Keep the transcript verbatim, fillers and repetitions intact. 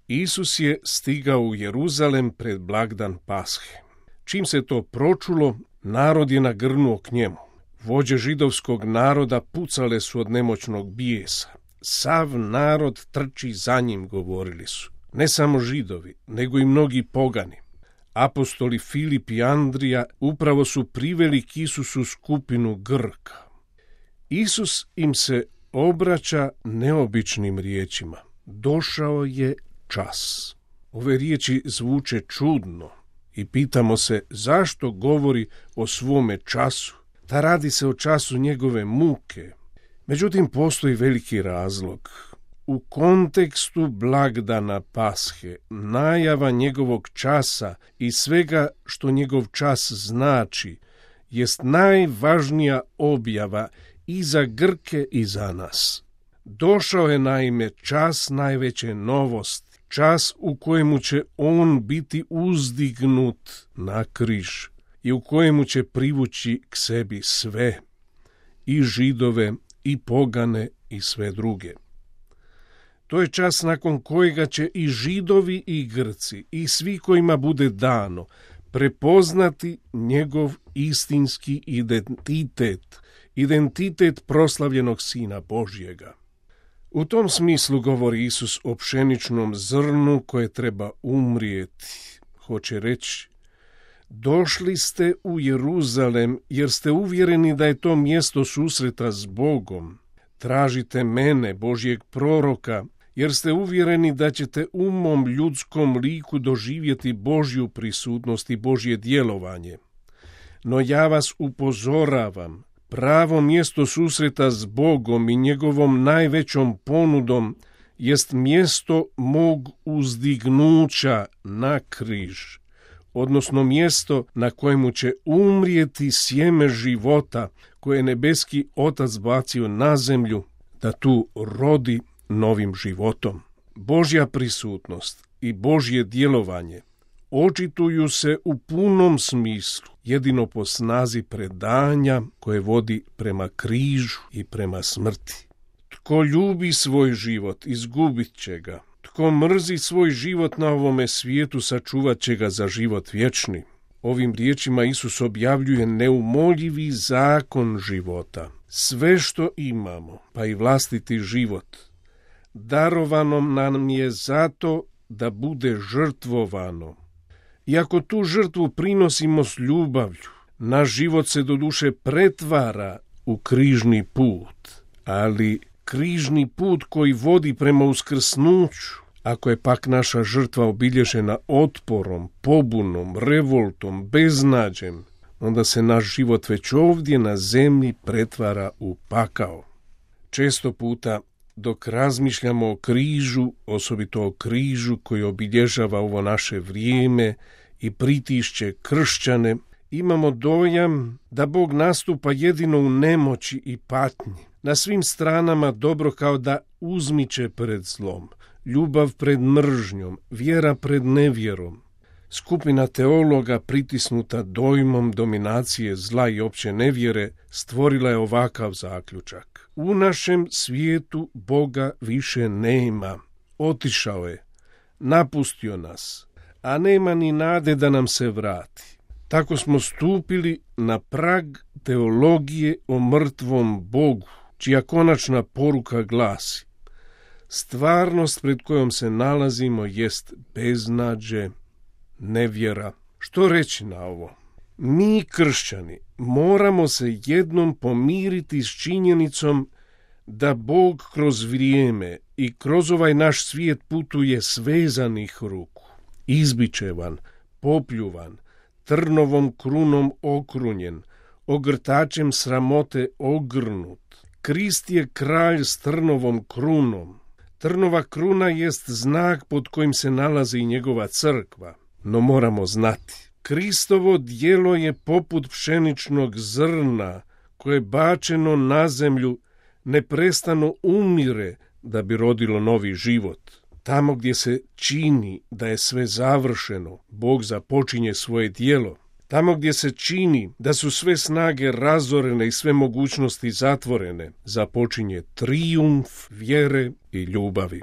Isus je stigao u Jeruzalem pred blagdan Pashe. Čim se to pročulo, narod je nagrnuo k njemu. Vođe židovskog naroda pucale su od nemoćnog bijesa. Sav narod trči za njim, govorili su. Ne samo Židovi, nego i mnogi pogani. Apostoli Filip i Andrija upravo su priveli k Isusu skupinu Grka. Isus im se obraća neobičnim riječima. Došao je čas. Ove riječi zvuče čudno i pitamo se zašto govori o svome času. Da radi se o času njegove muke. Međutim, postoji veliki razlog. U kontekstu blagdana Pashe, najava njegovog časa i svega što njegov čas znači, jest najvažnija objava i za Grke i za nas. Došao je naime čas najveće novosti, čas u kojemu će on biti uzdignut na križ i u kojemu će privući k sebi sve, i Židove, i pogane, i sve druge. To je čas nakon kojega će i Židovi i Grci i svi kojima bude dano prepoznati njegov istinski identitet, identitet proslavljenog Sina Božjega. U tom smislu govori Isus o pšeničnom zrnu koje treba umrijeti. Hoće reći, došli ste u Jeruzalem jer ste uvjereni da je to mjesto susreta s Bogom. Tražite mene, Božjeg proroka, jer ste uvjereni da ćete u mom ljudskom liku doživjeti Božju prisutnost i Božje djelovanje. No ja vas upozoravam, pravo mjesto susreta s Bogom i njegovom najvećom ponudom jest mjesto mog uzdignuća na križ, odnosno mjesto na kojemu će umrijeti sjeme života koje je nebeski Otac bacio na zemlju, da tu rodi novim životom. Božja prisutnost i Božje djelovanje očituju se u punom smislu jedino po snazi predanja koje vodi prema križu i prema smrti. Tko ljubi svoj život, izgubit će ga. Tko mrzi svoj život na ovome svijetu, sačuvat će ga za život vječni. Ovim riječima Isus objavljuje neumoljivi zakon života. Sve što imamo, pa i vlastiti život, darovano nam je zato da bude žrtvovano. I ako tu žrtvu prinosimo s ljubavlju, naš život se doduše pretvara u križni put, ali križni put koji vodi prema uskrsnuću. Ako je pak naša žrtva obilježena otporom, pobunom, revoltom, beznađem, onda se naš život već ovdje na zemlji pretvara u pakao. Često puta, dok razmišljamo o križu, osobito o križu koji obilježava ovo naše vrijeme i pritišće kršćane, imamo dojam da Bog nastupa jedino u nemoći i patnji. Na svim stranama dobro kao da uzmiče pred zlom, ljubav pred mržnjom, vjera pred nevjerom. Skupina teologa pritisnuta dojmom dominacije zla i opće nevjere stvorila je ovakav zaključak. U našem svijetu Boga više nema. Otišao je, napustio nas, a nema ni nade da nam se vrati. Tako smo stupili na prag teologije o mrtvom Bogu, čija konačna poruka glasi: stvarnost pred kojom se nalazimo jest beznađe, nevjera. Što reći na ovo? Mi, kršćani, moramo se jednom pomiriti s činjenicom da Bog kroz vrijeme i kroz ovaj naš svijet putuje svezanih ruku, izbičevan, popljuvan, trnovom krunom okrunjen, ogrtačem sramote ogrnut. Krist je kralj s trnovom krunom. Trnova kruna jest znak pod kojim se nalazi njegova crkva. No moramo znati, Kristovo djelo je poput pšeničnog zrna koje bačeno na zemlju neprestano umire da bi rodilo novi život. Tamo gdje se čini da je sve završeno, Bog započinje svoje djelo. Tamo gdje se čini da su sve snage razorene i sve mogućnosti zatvorene, započinje trijumf vjere i ljubavi.